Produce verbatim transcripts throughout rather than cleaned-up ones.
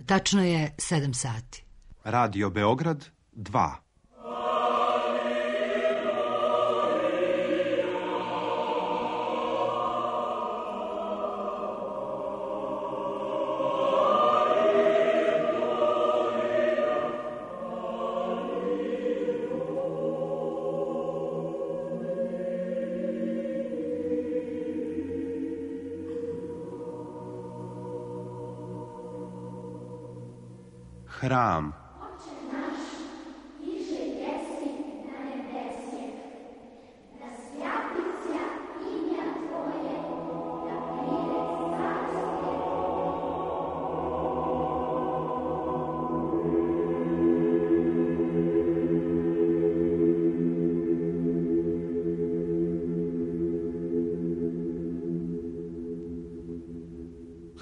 Tačno je sedam sati. Radio Beograd dva. Hram.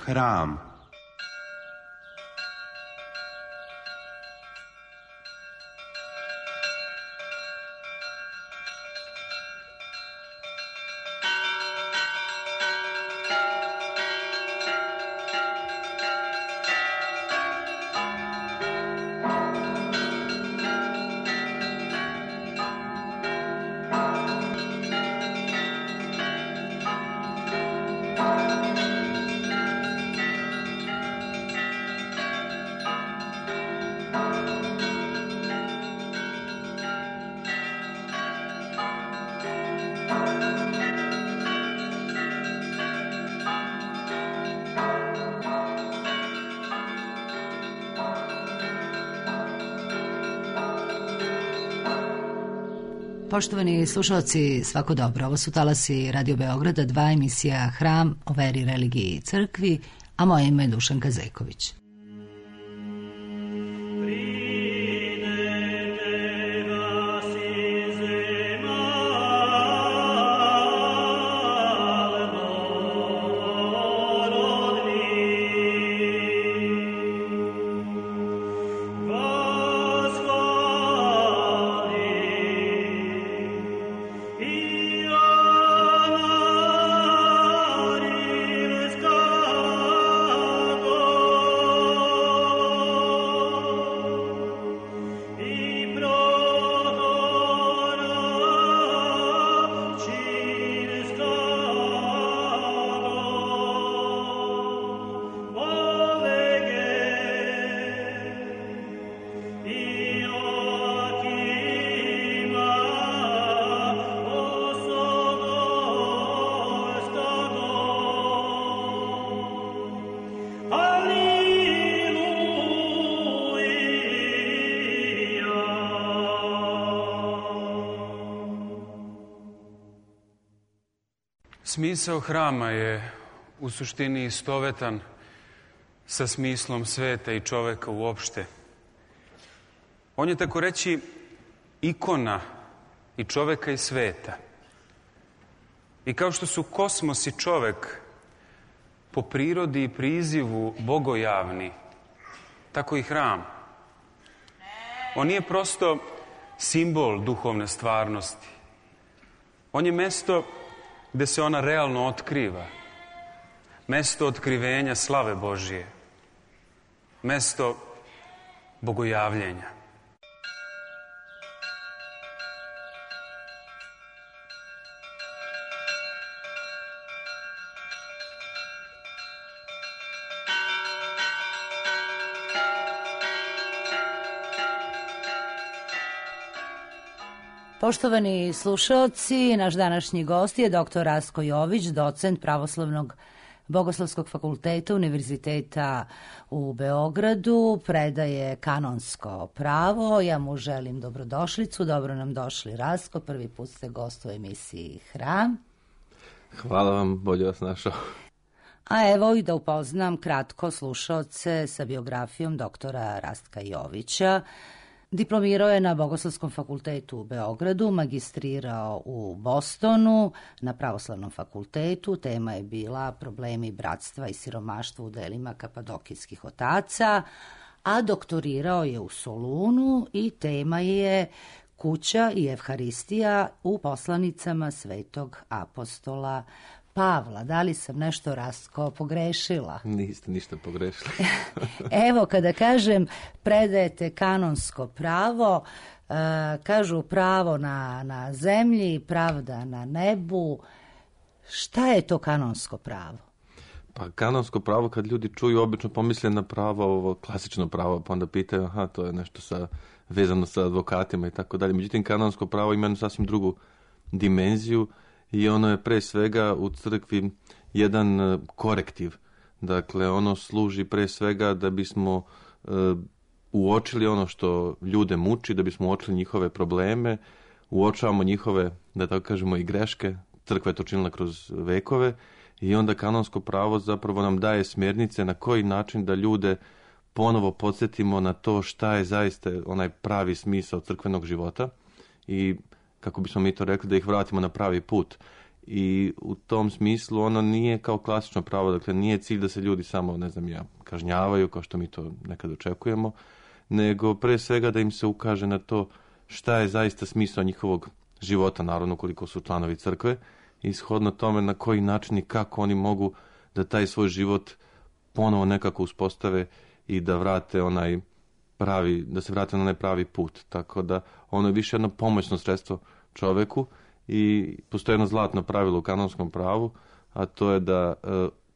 Hram. Poštovani slušalci, svako dobro. Ovo su talasi Radio Beograda, dva, emisija Hram o veri, religiji i crkvi, a moje ime je Dušanka Zeković. Smisao hrama je u suštini istovetan sa smislom sveta i čoveka uopšte. On je, tako reći, ikona i čoveka i sveta. I kao što su kosmos i čovek po prirodi i prizivu bogojavni, tako i hram. On nije prosto simbol duhovne stvarnosti. On je mesto gde se ona realno otkriva. Mesto otkrivenja slave Božije. Mesto bogojavljenja. Poštovani slušaoci, naš današnji gost je doktor Rastko Jović, docent Pravoslavnog Bogoslovskog fakulteta Univerziteta u Beogradu, predaje kanonsko pravo. Ja mu želim dobrodošlicu, dobro nam došli Rastko, prvi put ste gost u emisiji Hram. Hvala vam, bolje vas našao. A evo i da upoznam kratko slušaoce sa biografijom doktora Rastka Jovića. Diplomirao je na Bogoslovskom fakultetu u Beogradu, magistrirao u Bostonu na Pravoslavnom fakultetu. Tema je bila problemi bratstva i siromaštva u delima kapadokijskih otaca, a doktorirao je u Solunu i tema je kuća i evharistija u poslanicama svetog apostola Pavla, da li sam nešto Rastko pogrešila? Niste ništa pogrešili. Evo, kada kažem predajete kanonsko pravo, uh, kažu pravo na, na zemlji, pravda na nebu. Šta je to kanonsko pravo? Pa kanonsko pravo, kad ljudi čuju, obično pomisle na pravo, ovo klasično pravo, pa onda pitaju, aha, to je nešto sa, vezano sa advokatima i tako dalje. Međutim, kanonsko pravo ima jednu sasvim drugu dimenziju i ono je pre svega u crkvi jedan korektiv. Dakle, ono služi pre svega da bismo e, uočili ono što ljude muči, da bismo uočili njihove probleme, uočavamo njihove, da tako kažemo, i greške. Crkva je to činila kroz vekove i onda kanonsko pravo zapravo nam daje smjernice na koji način da ljude ponovo podsjetimo na to šta je zaista onaj pravi smisao crkvenog života i kako bismo mi to rekli, da ih vratimo na pravi put. I u tom smislu ono nije kao klasično pravo, dakle nije cilj da se ljudi samo, ne znam ja, kažnjavaju kao što mi to nekad očekujemo, nego pre svega da im se ukaže na to šta je zaista smisao njihovog života, naravno koliko su članovi crkve, i shodno tome na koji način i kako oni mogu da taj svoj život ponovo nekako uspostave i da vrate onaj pravi, da se vrate na onaj pravi put. Tako da ono je više jedno pomoćno sredstvo čoveku i postoji jedno zlatno pravilo u kanonskom pravu, a to je da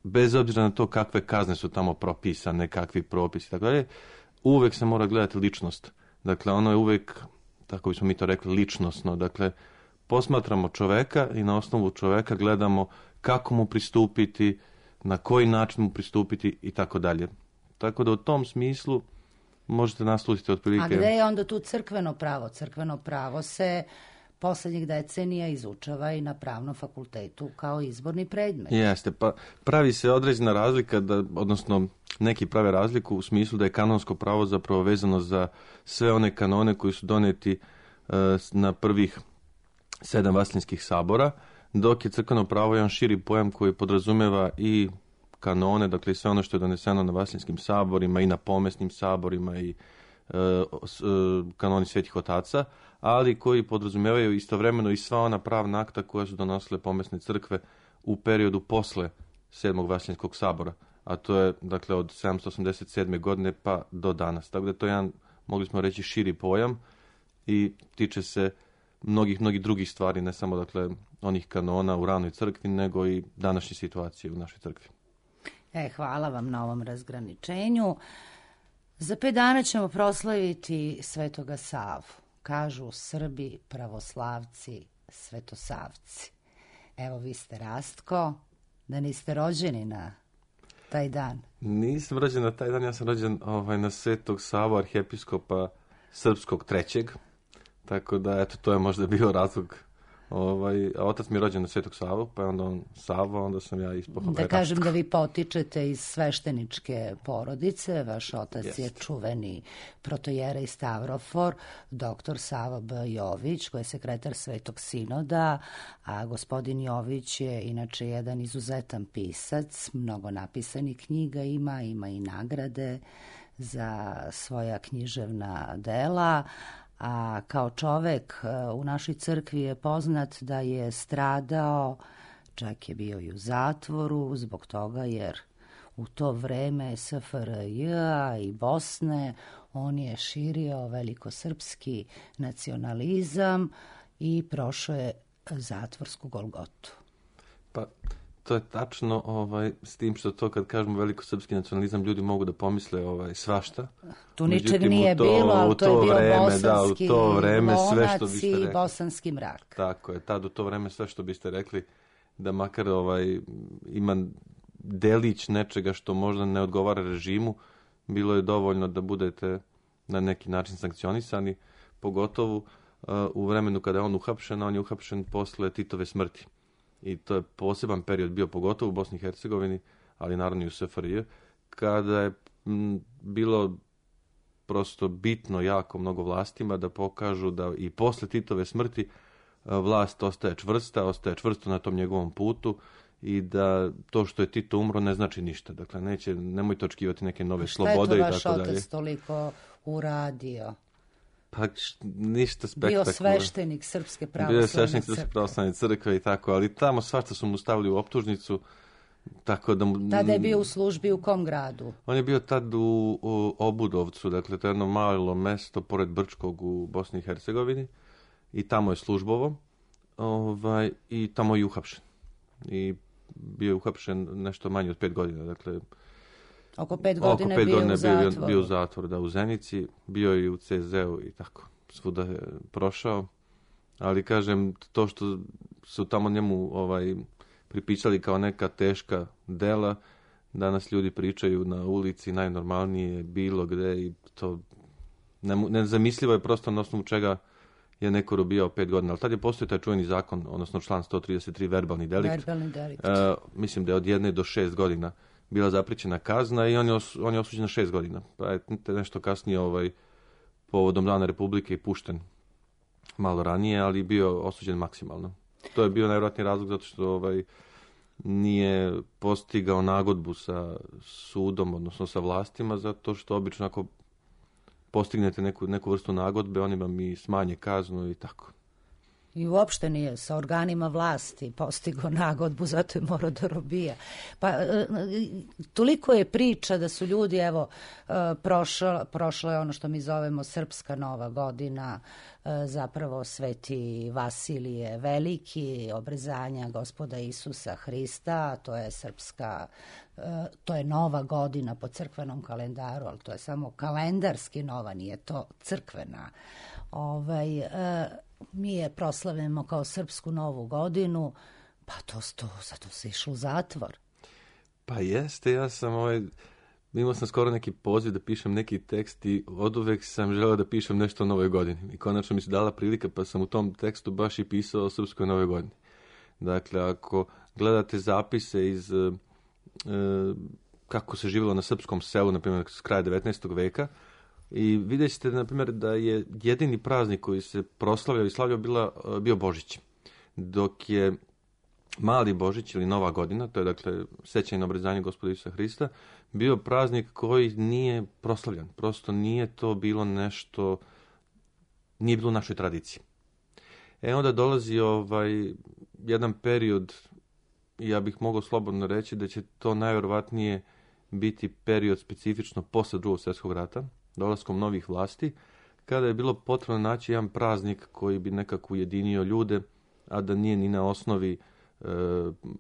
bez obzira na to kakve kazne su tamo propisane, kakvi propisi i tako dalje, uvek se mora gledati ličnost. Dakle, ono je uvek, tako bismo mi to rekli, ličnosno. Dakle, posmatramo čoveka i na osnovu čoveka gledamo kako mu pristupiti, na koji način mu pristupiti i tako dalje. Tako da u tom smislu možete naslutiti otprilike... A gde je onda tu crkveno pravo? Crkveno pravo se poslednjih decenija izučava i na pravnom fakultetu kao izborni predmet. Jeste, pa pravi se određena razlika, da, odnosno neki prave razliku u smislu da je kanonsko pravo zapravo vezano za sve one kanone koji su doneti uh, na prvih sedam vaseljenskih sabora, dok je crkveno pravo jedan širi pojam koji podrazumeva i kanone, dakle sve ono što je doneseno na vaseljenskim saborima i na pomesnim saborima i e, s, e, kanoni svetih otaca, ali koji podrazumevaju istovremeno i sva ona pravna akta koja su donosile pomesne crkve u periodu posle sedmog vaseljenskog sabora, a to je dakle od sedamsto osamdeset sedme godine pa do danas. Tako da to je jedan, mogli smo reći, širi pojam i tiče se mnogih, mnogih drugih stvari, ne samo dakle onih kanona u ranoj crkvi, nego i današnje situacije u našoj crkvi. E, hvala vam na ovom razgraničenju. Za pet dana ćemo proslaviti Svetoga Savu. Kažu Srbi, pravoslavci, svetosavci. Evo, vi ste Rastko, da niste rođeni na taj dan. Nisam rođen na taj dan, ja sam rođen ovaj, na Svetog Savu, arhijepiskopa srpskog trećeg. Tako da, eto, to je možda bio razlog. Ovaj, a otac mi je rođen na Svetog Savu, pa je onda on Savo, onda sam ja ispod. Da ovaj, kažem da vi potičete iz svešteničke porodice, vaš otac Jest. je čuveni protojerej Stavrofor, doktor Savo B. Jović, koji je sekretar Svetog Sinoda, a gospodin Jović je inače jedan izuzetan pisac, mnogo napisanih knjiga ima, ima i nagrade za svoja književna dela, a kao čovek u našoj crkvi je poznat da je stradao, čak je bio i u zatvoru zbog toga jer u to vreme S F R J i Bosne on je širio velikosrpski nacionalizam i prošao je zatvorsku golgotu. Pa to je tačno, ovaj, s tim što to kad kažemo velikosrpski nacionalizam, ljudi mogu da pomisle ovaj, svašta. Tu ničeg nije to, bilo, ali to, to je bio vreme, bosanski da, u to vreme, lonac sve što biste rekli. I bosanski mrak. Tako je, tad u to vreme sve što biste rekli, da makar ovaj, ima delić nečega što možda ne odgovara režimu, bilo je dovoljno da budete na neki način sankcionisani, pogotovo uh, u vremenu kada je on uhapšen, on je uhapšen posle Titove smrti. I to je poseban period bio, pogotovo u Bosni i Hercegovini, ali naravno i u S F R J, kada je m, bilo prosto bitno jako mnogo vlastima da pokažu da i posle Titove smrti vlast ostaje čvrsta, ostaje čvrsto na tom njegovom putu i da to što je Tito umro ne znači ništa. Dakle, neće, nemojte očekivati neke nove slobode i tako dalje. Šta je to vaš otac toliko uradio? Pa ništa spektakularno. Bio sveštenik Srpske pravoslavne crkve. Bio je crkve. sveštenik Srpske pravoslavne crkve i tako, ali tamo svašta su mu stavili u optužnicu. Tako da mu, Tada je bio u službi u kom gradu? On je bio tad u, u Obudovcu, dakle to je jedno malo mesto pored Brčkog u Bosni i Hercegovini i tamo je službovo ovaj, i tamo je uhapšen. I bio je uhapšen nešto manje od pet godina, dakle oko pet godina, oko pet bio, godina u bio, zatvoru. bio u zatvoru, da, u Zenici, bio je i u C Z-u i tako, svuda je prošao, ali kažem, to što su tamo njemu ovaj, pripisali kao neka teška dela, danas ljudi pričaju na ulici najnormalnije, bilo gde i to nezamislivo je prosto na osnovu čega je neko robijao pet godina. Ali tad je postoji taj čuveni zakon, odnosno član sto trideset tri, verbalni delikt. Verbalni delikt. Uh, mislim da je od jedne do šest godina bila zapričena kazna i on je, os, on je osuđen na šest godina. Pa je nešto kasnije ovaj, povodom Dana Republike i pušten malo ranije, ali bio osuđen maksimalno. To je bio najvjerojatniji razlog zato što ovaj, nije postigao nagodbu sa sudom, odnosno sa vlastima, zato što obično ako postignete neku, neku vrstu nagodbe, oni vam i smanje kaznu i tako. I uopšte nije sa organima vlasti postigao nagodbu, zato je morao da robija. Pa toliko je priča da su ljudi, evo, prošla, prošla je ono što mi zovemo Srpska nova godina, zapravo Sveti Vasilije Veliki, obrezanja Gospoda Isusa Hrista, to je srpska, to je nova godina po crkvenom kalendaru, ali to je samo kalendarski nova, nije to crkvena. Ovaj, mi je proslavljamo kao Srpsku novu godinu, pa to, to zato se išlo u zatvor. Pa jeste, ja sam ovaj, imao sam skoro neki poziv da pišem neki tekst i oduvek sam želeo da pišem nešto o Novoj godini. I konačno mi se dala prilika, pa sam u tom tekstu baš i pisao o Srpskoj Novoj godini. Dakle, ako gledate zapise iz e, kako se živjelo na srpskom selu, na primjer, s kraja devetnaestog veka, i vidjet ćete, na primjer, da je jedini praznik koji se proslavljao i slavljao bila, bio Božić. Dok je Mali Božić ili Nova godina, to je dakle sećanje na obrezanje Gospoda Isusa Hrista, bio praznik koji nije proslavljan. Prosto nije to bilo nešto, nije bilo u našoj tradiciji. E onda dolazi ovaj jedan period, ja bih mogao slobodno reći da će to najvjerovatnije biti period specifično posle Drugog svjetskog rata, dolaskom novih vlasti, kada je bilo potrebno naći jedan praznik koji bi nekako ujedinio ljude, a da nije ni na osnovi e,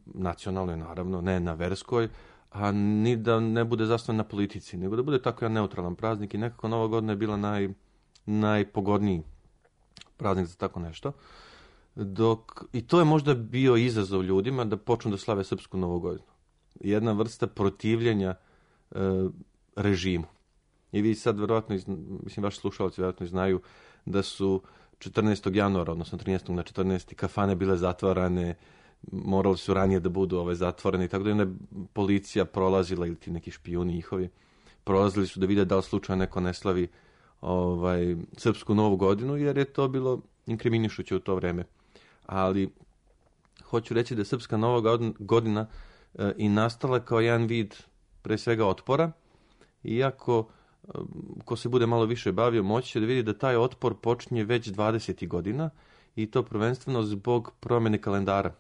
nacionalnoj, naravno, ne na verskoj, a ni da ne bude zasnovan na politici, nego da bude tako jedan neutralan praznik i nekako Nova godina je bila naj, najpogodniji praznik za tako nešto. Dok, i to je možda bio izazov ljudima da počnu da slave Srpsku Novu godinu. Jedna vrsta protivljenja e, režimu. I vi sad vjerojatno, mislim, vaši slušalci vjerojatno znaju da su četrnaestog januara, odnosno trinaestog na četrnaesti kafane bile zatvarane, morali su ranije da budu ove zatvorene i tako da je policija prolazila ili ti neki špijuni njihovi, prolazili su da vide da li slučajno neko ne slavi ovaj, Srpsku Novu godinu, jer je to bilo inkriminišuće u to vreme. Ali hoću reći da je Srpska Nova godina e, i nastala kao jedan vid pre svega otpora, iako ko se bude malo više bavio, moći će da vidi da taj otpor počinje već dvadesetih godina i to prvenstveno zbog promjene kalendara.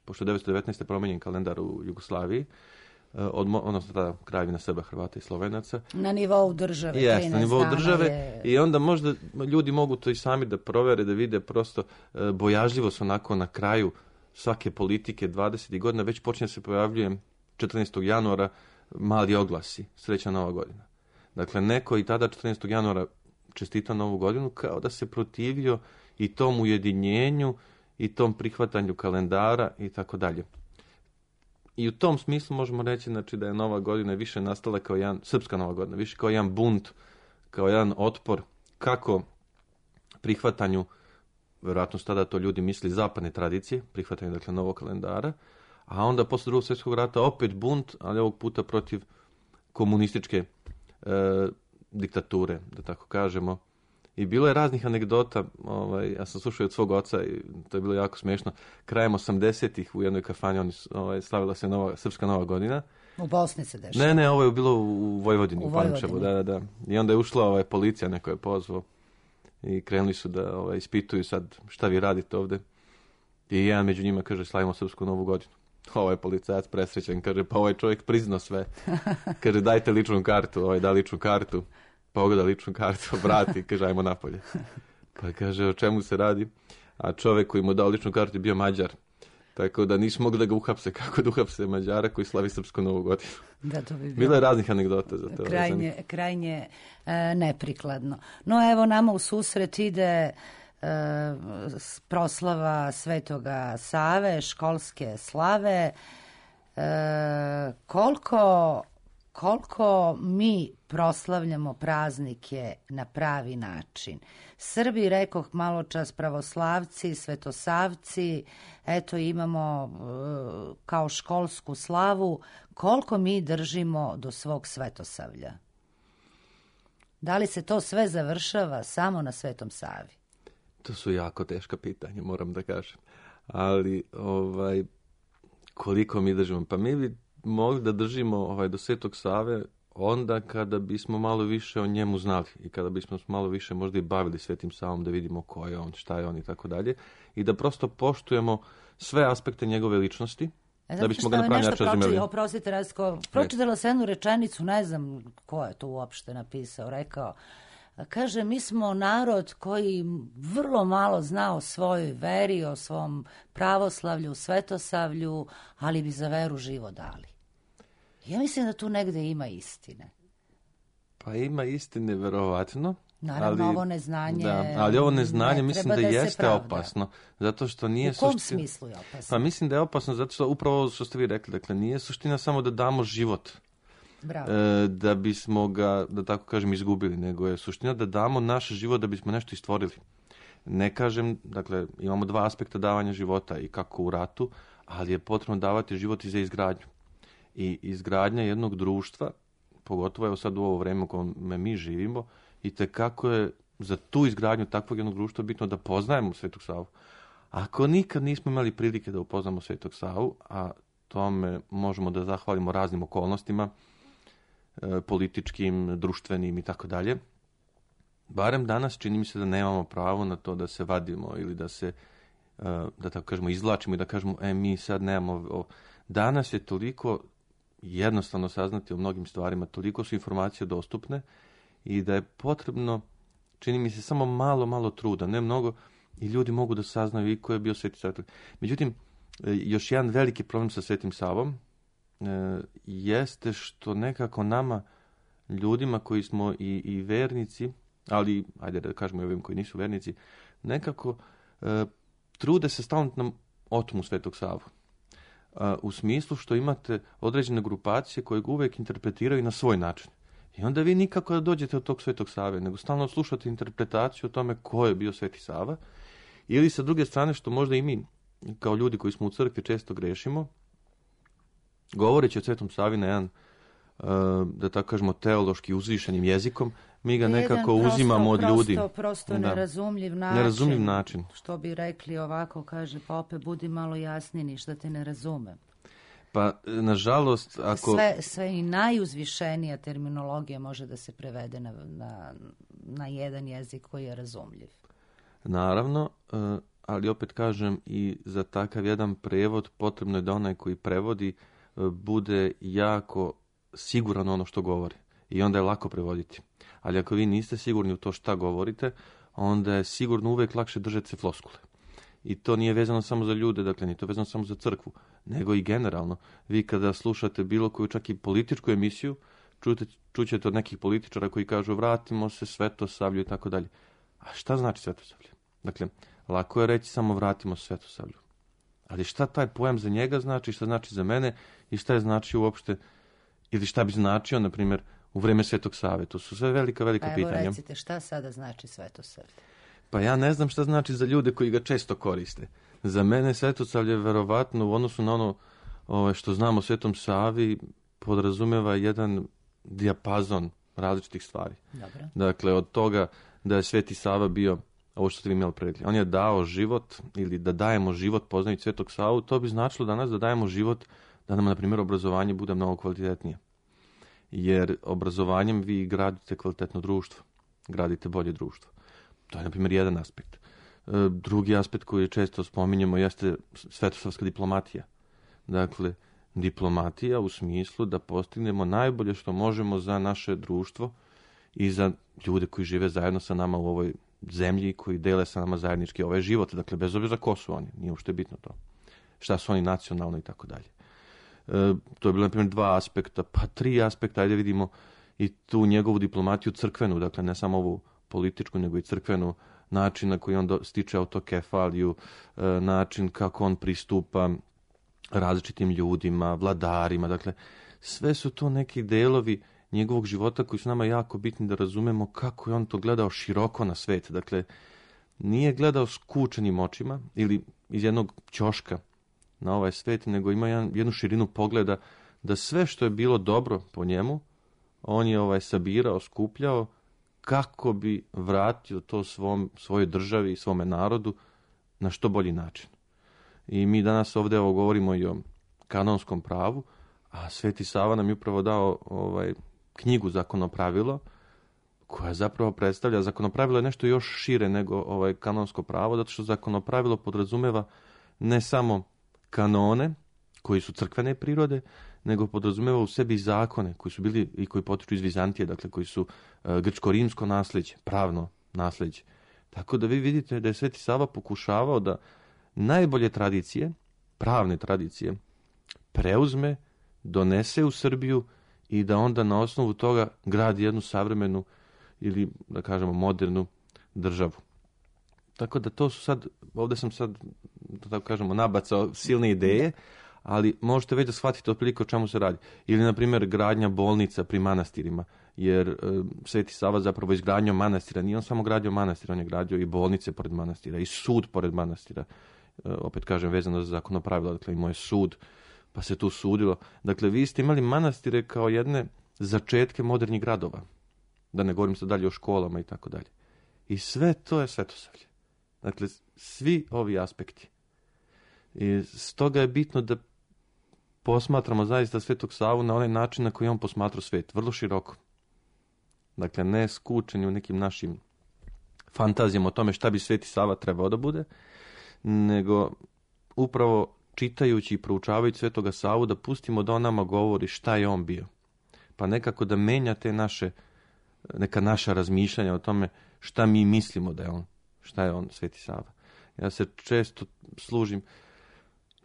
Pošto je devetsto devetnaeste promenjen kalendar u Jugoslaviji, od, odnosno tada Kraljevina Srba, Hrvata i Slovenaca. Na nivou države. Yes, na nivou države je... i onda možda ljudi mogu to i sami da provere, da vide prosto bojažljivo su onako na kraju svake politike dvadesetih godina, već počinje se pojavljuje četrnaestog januara mali oglasi, srećna Nova godina. Dakle, neko i tada četrnaestog januara čestita Novu godinu kao da se protivio i tom ujedinjenju i tom prihvatanju kalendara i tako dalje. I u tom smislu možemo reći, znači, da je Nova godina više nastala kao jedan, Srpska Nova godina, više kao jedan bunt, kao jedan otpor, kako prihvatanju, vjerojatno su tada to ljudi misli, zapadne tradicije, prihvatanju, dakle, novog kalendara, a onda posle Drugog svjetskog rata opet bunt, ali ovog puta protiv komunističke E, diktature, da tako kažemo. I bilo je raznih anegdota, ovaj, ja sam slušao od svog oca i to je bilo jako smiješno. Krajem osamdesetih u jednoj kafani oni, ovaj, slavila se nova, Srpska Nova godina. U Bosni se dešava. Ne, ne, ovo je bilo u Vojvodini, u, u Pančevu, da, da, da. I onda je ušla ovaj, policija, neko je pozvao. i krenuli su da ovaj, ispituju sad šta vi radite ovde. I jedan među njima kaže, slavimo Srpsku novu godinu. Ovaj policajac presrećan, kaže, pa ovaj čovjek priznao sve. Kaže, dajte ličnu kartu, ovaj da ličnu kartu, pogleda ličnu kartu, vrati, kaže, ajmo napolje. Pa kaže, o čemu se radi? A čovjek koji mu dao ličnu kartu je bio Mađar. Tako da nisu mogli da ga uhapse, kako da uhapse Mađara koji slavi Srpsku novu godinu. Da, to bi bilo. Bilo je raznih anegdota za to. Krajnje, krajnje e, neprikladno. No evo nama u susret ide e, proslava Svetoga Save, školske slave. E, koliko, koliko mi proslavljamo praznike na pravi način. Srbi, rekoh malo čas, pravoslavci, svetosavci, eto imamo e, kao školsku slavu, koliko mi držimo do svog svetosavlja? Da li se to sve završava samo na Svetom Savi? To su jako teška pitanja, moram da kažem. Ali, ovaj, koliko mi držimo? Pa mi bi mogli da držimo ovaj, do Svetog Save onda kada bismo malo više o njemu znali i kada bismo malo više možda i bavili Svetim Savom, da vidimo ko je on, šta je on i tako dalje, i da prosto poštujemo sve aspekte njegove ličnosti, e, da bismo ga na pravi način razumeli. Oprostite, Rastko, pročitala sam jednu rečenicu, ne znam ko je to uopšte napisao, rekao, kaže, mi smo narod koji vrlo malo zna o svojoj veri, o svom pravoslavlju, svetosavlju, ali bi za veru živo dali. Ja mislim da tu negde ima istine. Pa ima istine, verovatno. Naravno, ali, ovo neznanje... Da, ali ovo neznanje ne mislim da, da jeste opasno. Zato što nije U kom suština... smislu je opasno? Pa mislim da je opasno zato što upravo ovo što ste vi rekli. Dakle, nije suština samo da damo život. Bravo. E, da bismo ga, da tako kažem, izgubili. Nego je suština da damo naš život da bismo nešto istvorili. Ne kažem, dakle, imamo dva aspekta davanja života i kako u ratu, ali je potrebno davati život i za izgradnju. I izgradnja jednog društva, pogotovo evo sad u ovo vreme u kome mi živimo, i tekako je za tu izgradnju takvog jednog društva bitno da poznajemo Svetog Savu. Ako nikad nismo imali prilike da upoznamo Svetog Savu, a tome možemo da zahvalimo raznim okolnostima, e, političkim, društvenim i tako dalje, barem danas čini mi se da nemamo pravo na to da se vadimo ili da se, e, da tako kažemo, izvlačimo i da kažemo, e, mi sad nemamo... O... Danas je toliko jednostavno saznati o mnogim stvarima, toliko su informacije dostupne i da je potrebno, čini mi se, samo malo, malo truda, ne mnogo, i ljudi mogu da saznaju i ko je bio Sveti Sava. Međutim, još jedan veliki problem sa Svetim Savom e, jeste što nekako nama, ljudima koji smo i, i vernici, ali, ajde da kažemo i ovim koji nisu vernici, nekako e, trude se stalno nam otmu Svetog Savu. U smislu što imate određene grupacije koje ga uvijek interpretiraju na svoj način. I onda vi nikako da dođete od tog Svetog Save, nego stalno slušate interpretaciju o tome ko je bio Sveti Sava. Ili sa druge strane, što možda i mi, kao ljudi koji smo u crkvi, često grešimo, govoreći o Svetom Savi na jedan, da tako kažemo, teološki uzvišenim jezikom, mi ga nekako jedan uzimamo prosto, od ljudi. Prosto, prosto da. nerazumljiv način. Nerazumljiv način. Što bi rekli ovako, kaže, pa opet budi malo jasniji, ništa te ne razumem. Pa, nažalost, ako... Sve, sve i najuzvišenija terminologija može da se prevede na, na, na jedan jezik koji je razumljiv. Naravno, ali opet kažem, i za takav jedan prevod potrebno je da onaj koji prevodi bude jako siguran ono što govori. I onda je lako prevoditi. Ali ako vi niste sigurni u to šta govorite, onda je sigurno uvek lakše držati se floskule. I to nije vezano samo za ljude, dakle, nije to vezano samo za crkvu, nego i generalno. Vi kada slušate bilo koju čak i političku emisiju, čujete, čućete od nekih političara koji kažu vratimo se Svetosavlju i tako dalje. A šta znači Svetosavlje? Dakle, lako je reći samo vratimo se Svetosavlju. Ali šta taj pojam za njega znači, šta znači za mene i šta je znači uopšte, ili šta bi značio, na primjer, u vreme Svetog Save. To su sve velika, velika pa evo pitanja. Evo recite, šta sada znači Svetosavlje? Pa ja ne znam šta znači za ljude koji ga često koriste. Za mene Svetosavlje verovatno u odnosu na ono ove, što znamo o Svetom Savi podrazumeva jedan dijapazon različitih stvari. Dobro. Dakle, od toga da je Sveti Sava bio, ovo što ste vi imali predlike, on je dao život ili da dajemo život poznajući Svetog Savu, to bi značilo danas da dajemo život da nam, na primjer, obrazovanje bude mnogo kvalitetnije. Jer obrazovanjem vi gradite kvalitetno društvo, gradite bolje društvo. To je, na primjer, jedan aspekt. Drugi aspekt koji često spominjemo jeste svetosavska diplomatija. Dakle, diplomatija u smislu da postignemo najbolje što možemo za naše društvo i za ljude koji žive zajedno sa nama u ovoj zemlji, koji dele sa nama zajednički ovaj život. Dakle, bez obzira ko su oni, nije uopšte bitno to. Šta su oni nacionalno i tako dalje. To je bilo, na primjer, dva aspekta, pa tri aspekta, ajde vidimo i tu njegovu diplomatiju crkvenu, dakle, ne samo ovu političku, nego i crkvenu, način na koji on do, stiče autokefaliju, način kako on pristupa različitim ljudima, vladarima, dakle, sve su to neki delovi njegovog života koji su nama jako bitni da razumemo kako je on to gledao široko na svet. Dakle, nije gledao skučenim očima ili iz jednog ćoška na ovaj svet, nego ima jedan, jednu širinu pogleda da sve što je bilo dobro po njemu, on je ovaj sabirao, skupljao, kako bi vratio to svom, svojoj državi i svome narodu na što bolji način. I mi danas ovdje evo, govorimo i o kanonskom pravu, a Sveti Sava nam je upravo dao ovaj, knjigu Zakonopravilo, koja zapravo predstavlja, Zakonopravilo je nešto još šire nego ovaj, kanonsko pravo, zato što Zakonopravilo podrazumeva ne samo kanone, koji su crkvene prirode, nego podrazumeva u sebi zakone koji su bili i koji potiču iz Vizantije, dakle koji su uh, grčko-rimsko nasljeđe, pravno nasljeđe. Tako da vi vidite da je Sveti Sava pokušavao da najbolje tradicije, pravne tradicije, preuzme, donese u Srbiju i da onda na osnovu toga gradi jednu savremenu ili, da kažemo, modernu državu. Tako da to su sad, ovdje sam sad, da tako kažemo, nabacao silne ideje, ali možete već da shvatite otprilike o čemu se radi. Ili, na primjer, gradnja bolnica pri manastirima, jer e, Sveti Sava zapravo izgradnjom manastira, nije on samo gradio manastira, on je gradio i bolnice pored manastira, i sud pored manastira. E, opet kažem, vezano za Zakonopravilo, dakle imao je sud, pa se tu sudilo. Dakle, vi ste imali manastire kao jedne začetke modernih gradova. Da ne govorim sad dalje o školama i tako dalje. I sve to je Svetosavlje. Dakle, svi ovi aspekti. I stoga je bitno da posmatramo zaista Svetog Savu na onaj način na koji on posmatrao svet, vrlo široko. Dakle, ne skučeni u nekim našim fantazijama o tome šta bi Sveti Sava trebao da bude, nego upravo čitajući i proučavajući Svetoga Savu da pustimo da on nama govori šta je on bio. Pa nekako da menja te naše, neka naša razmišljanja o tome šta mi mislimo da je on, šta je on Sveti Sava. Ja se često služim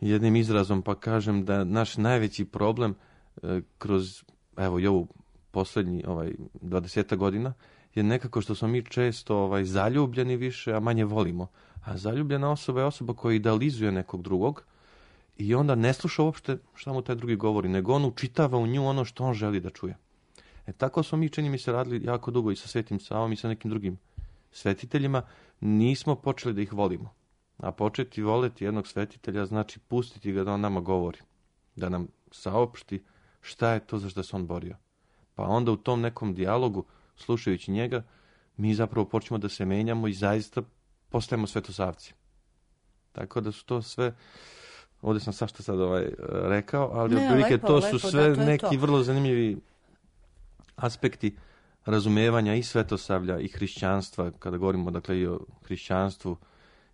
jednim izrazom pa kažem da naš najveći problem e, kroz, evo i ovu posljednji ovaj, dvadesetak godina je nekako što smo mi često ovaj, zaljubljeni više, a manje volimo. A zaljubljena osoba je osoba koja idealizuje nekog drugog i onda ne sluša uopšte šta mu taj drugi govori, nego on učitava u nju ono što on želi da čuje. E tako smo mi, čini mi se, radili jako dugo i sa Svetim Savom i sa nekim drugim svetiteljima. Nismo počeli da ih volimo. A početi voleti jednog svetitelja znači pustiti ga da on nama govori. Da nam saopšti šta je to za što se on borio. Pa onda u tom nekom dijalogu, slušajući njega, mi zapravo počnemo da se menjamo i zaista postajemo svetosavci. Tako da su to sve, ovdje sam sašta sad ovaj, rekao, ali ne, otprilike lepo, to lepo, su sve da, to neki to. vrlo zanimljivi aspekti razumevanja i svetosavlja i hrišćanstva, kada govorimo dakle i o hrišćanstvu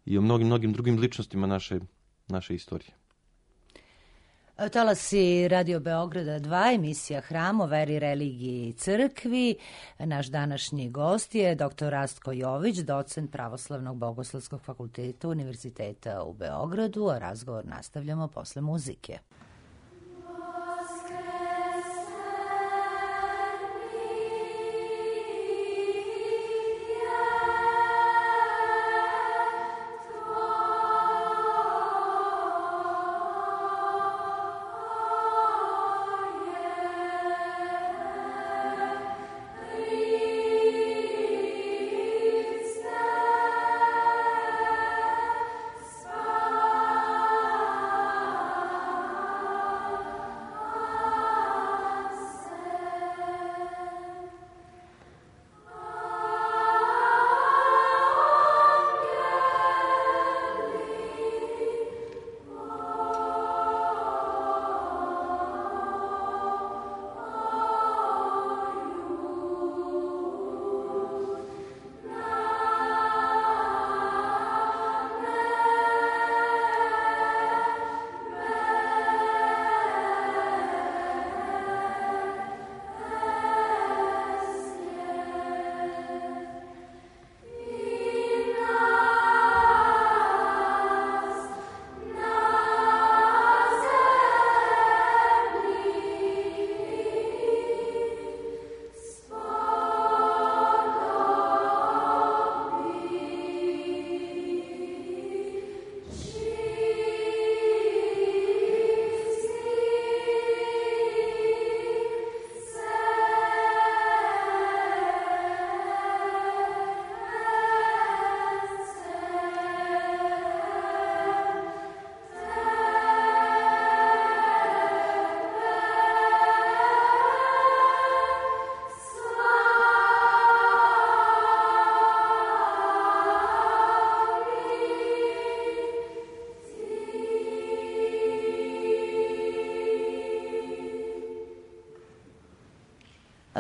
i o mnogim, mnogim drugim ličnostima naše, naše istorije. Talasi Radio Beograda dva, emisija Hram o veri, religiji i crkvi. Naš današnji gost je doktor Rastko Jović, docent Pravoslavnog bogoslovskog fakulteta Univerziteta u Beogradu, a razgovor nastavljamo posle muzike. Sva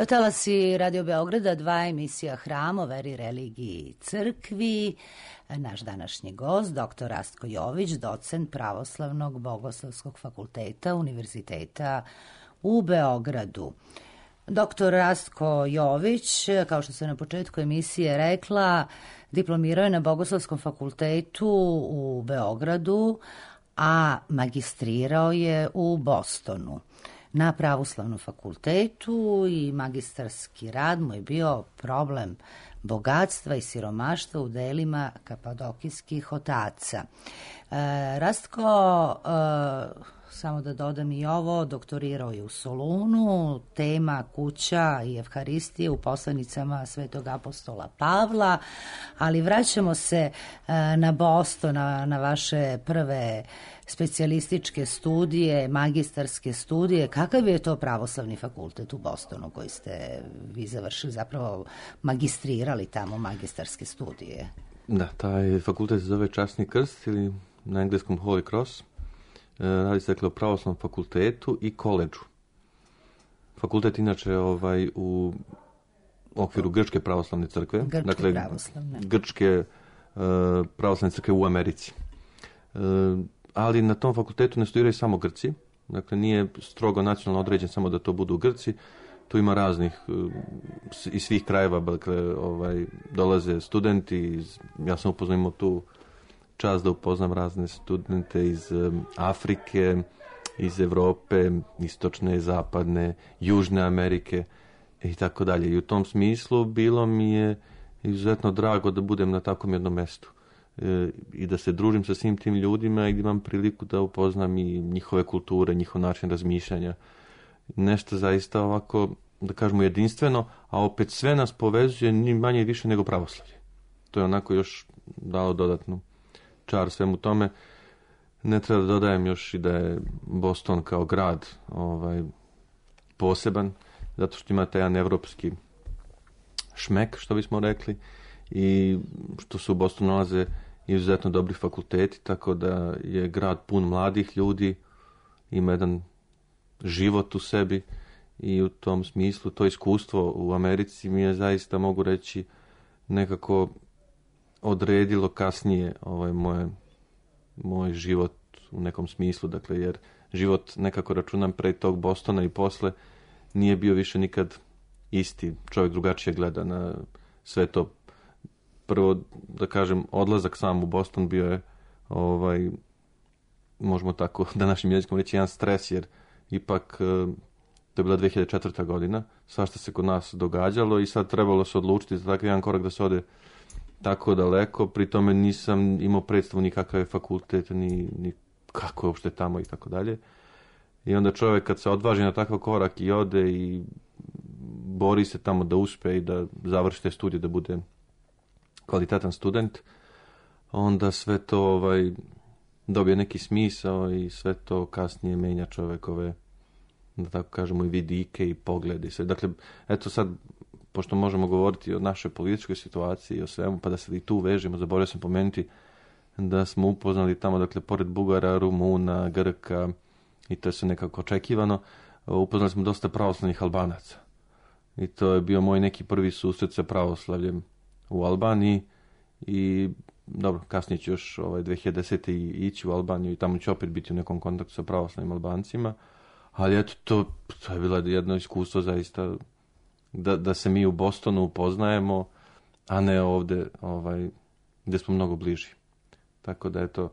Talasi Radio Beograda, dva emisija Hram o veri, religiji i crkvi. Naš današnji gost, doktor Rastko Jović, docent Pravoslavnog bogoslovskog fakulteta Univerziteta u Beogradu. Doktor Rastko Jović, kao što sam na početku emisije rekla, diplomirao je na Bogoslovskom fakultetu u Beogradu, a magistrirao je u Bostonu na Pravoslavnom fakultetu i magistarski rad mu je bio problem bogatstva i siromaštva u delima kapadokijskih otaca. E, Rastko, e, samo da dodam i ovo, doktorirao je u Solunu, tema kuća i evharistije u poslanicama Svetog apostola Pavla, ali vraćamo se e, na Boston, na, na vaše prve specijalističke studije, magistarske studije. Kakav je to pravoslavni fakultet u Bostonu koji ste vi završili, zapravo magistrirali tamo magistarske studije? Da, taj fakultet se zove Časni krst ili na engleskom Holy Cross. Radi se dakle o pravoslavnom fakultetu i koledžu. Fakultet inače ovaj, u okviru Grčke pravoslavne crkve. Grčke dakle, pravoslavne. Grčke uh, pravoslavne crkve u Americi. Uh, ali na tom fakultetu ne studiraju samo Grci. Dakle, nije strogo nacionalno određen samo da to budu Grci. Tu ima raznih, uh, iz svih krajeva, dakle, ovaj, dolaze studenti. Iz, ja sam upoznao tu čast da upoznam razne studente iz um, Afrike, iz Evrope, istočne, zapadne, južne Amerike i tako dalje. I u tom smislu bilo mi je izuzetno drago da budem na takvom jednom mestu e, i da se družim sa svim tim ljudima i da imam priliku da upoznam i njihove kulture, njihov način razmišljanja. Nešto zaista ovako, da kažemo, jedinstveno, a opet sve nas povezuje ni manje i više nego pravoslavlje. To je onako još dalo dodatnu čar svemu tome. Ne treba da dodajem još i da je Boston kao grad ovaj, poseban, zato što ima taj jedan evropski šmek, što bismo rekli, i što se u Bostonu nalaze izuzetno dobri fakulteti, tako da je grad pun mladih ljudi, ima jedan život u sebi i u tom smislu to iskustvo u Americi mi je zaista, mogu reći, nekako odredilo kasnije ovaj moje, moj život u nekom smislu, dakle, jer život nekako računam pre tog Bostona i posle nije bio više nikad isti. Čovjek drugačije gleda na sve to. Prvo, da kažem, odlazak sam u Boston bio je, ovaj, možemo tako današnjim jezikom reći, jedan stres, jer ipak to je bila dve hiljade četvrta godina, svašta se kod nas događalo i sad trebalo se odlučiti za takav jedan korak da se ode tako daleko, pri tome nisam imao predstavu ni kakav je fakultet, ni, ni kako je uopšte tamo i tako dalje. I onda čovjek kad se odvaži na takav korak i ode i bori se tamo da uspe i da završi te studije, da bude kvalitetan student, onda sve to ovaj, dobije neki smisao i sve to kasnije menja čovjekove, da tako kažemo, i vidike i poglede. Dakle, eto sad, pošto možemo govoriti o našoj političkoj situaciji i o svemu, pa da se i tu vežemo, zaboravio sam pomenuti da smo upoznali tamo, dakle, pored Bugara, Rumuna, Grka, i to je sve nekako očekivano, upoznali smo dosta pravoslavnih Albanaca. I to je bio moj neki prvi susret sa pravoslavljem u Albaniji i dobro, kasnije ću još ovaj, dve hiljade desete ići u Albaniju i tamo ću opet biti u nekom kontaktu sa pravoslavnim Albancima, ali eto, to, to je bilo jedno iskustvo zaista da, da se mi u Bostonu upoznajemo, a ne ovde ovaj, gde smo mnogo bliži. Tako da eto,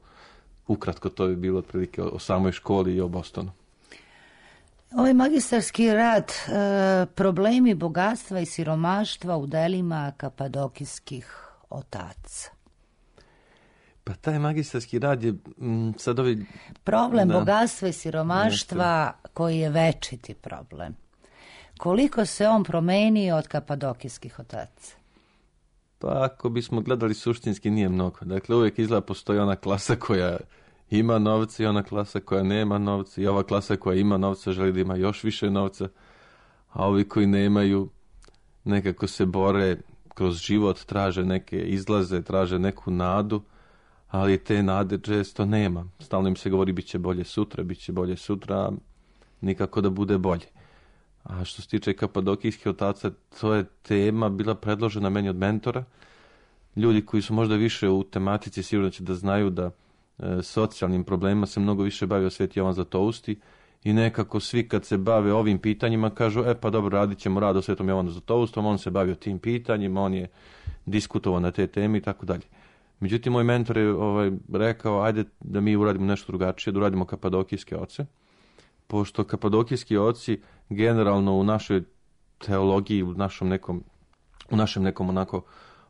ukratko to je bilo otprilike o, o samoj školi i o Bostonu. Ovaj magistarski rad, e, problemi bogatstva i siromaštva u delima kapadokijskih otaca. Pa taj magistarski rad je m, sad ovi... Problem da, bogatstva i siromaštva nešto koji je večiti problem. Koliko se on promenio od kapadokijskih otaca? Pa ako bismo gledali suštinski nije mnogo. Dakle, uvijek izgleda postoji ona klasa koja ima novca i ona klasa koja nema novca i ova klasa koja ima novca želi da ima još više novca, a ovi koji nemaju nekako se bore kroz život, traže neke izlaze, traže neku nadu, ali te nade često nema. Stalno im se govori bit će bolje sutra, bit će bolje sutra, nikako da bude bolje. A što se tiče kapadokijskih otaca, to je tema bila predložena meni od mentora. Ljudi koji su možda više u tematici sigurno će da znaju da e, socijalnim problemima se mnogo više bavio Sveti Jovan Zlatousti i nekako svi kad se bave ovim pitanjima kažu, e pa dobro, radit ćemo rad o Svetom Jovanu Zlatoustom, on se bavio tim pitanjima, on je diskutovao na te teme i tako dalje. Međutim, moj mentor je ovaj, rekao, ajde da mi uradimo nešto drugačije, da uradimo kapadokijske oce, pošto kapadokijski oci generalno u našoj teologiji, u našem nekom, u našem nekom onako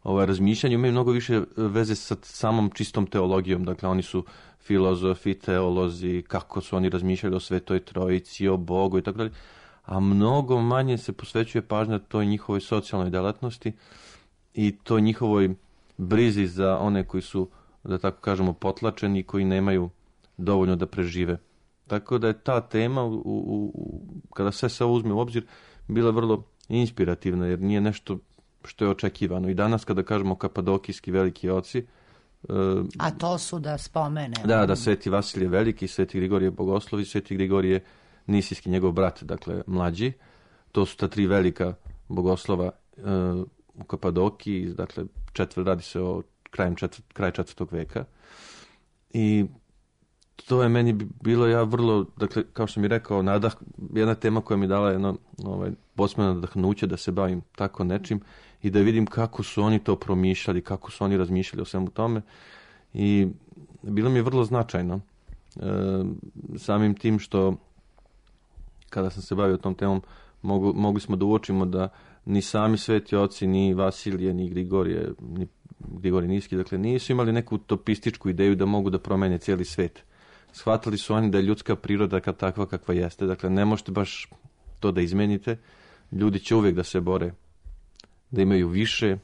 ovaj, razmišljanju imaju mnogo više veze sa samom čistom teologijom. Dakle, oni su filozofi, teolozi, kako su oni razmišljali o Svetoj Trojici, o Bogu i tako dalje. A mnogo manje se posvećuje pažnja toj njihovoj socijalnoj delatnosti i toj njihovoj brizi za one koji su, da tako kažemo, potlačeni i koji nemaju dovoljno da prežive. Tako da je ta tema, u, u, u, kada sve se uzme u obzir, bila vrlo inspirativna, jer nije nešto što je očekivano. I danas kada kažemo kapadokijski veliki oci... Uh, A to su da spomenemo. Da, da Sveti Vasilije Veliki, Sveti Grigorije Bogoslovi, Sveti Grigorije Nisijski, njegov brat, dakle mlađi. To su ta tri velika bogoslova uh, u Kapadokiji, dakle četvr, radi se o krajem četvr, kraj četvrtog veka. I to je meni bilo ja vrlo, dakle, kao što mi rekao, nadah, jedna tema koja mi dala jedno ovaj, posebno nadahnuće da se bavim tako nečim i da vidim kako su oni to promišljali, kako su oni razmišljali o svemu tome. I bilo mi je vrlo značajno. E, samim tim što kada sam se bavio tom temom, mogu, mogli smo da uočimo da ni sami sveti oci, ni Vasilije, ni Grigorije, ni Grigorije Niski, dakle, nisu imali neku utopističku ideju da mogu da promene cijeli svet. Shvatili su oni da je ljudska priroda kad takva kakva jeste. Dakle, ne možete baš to da izmenite. Ljudi će uvijek da se bore, da imaju više,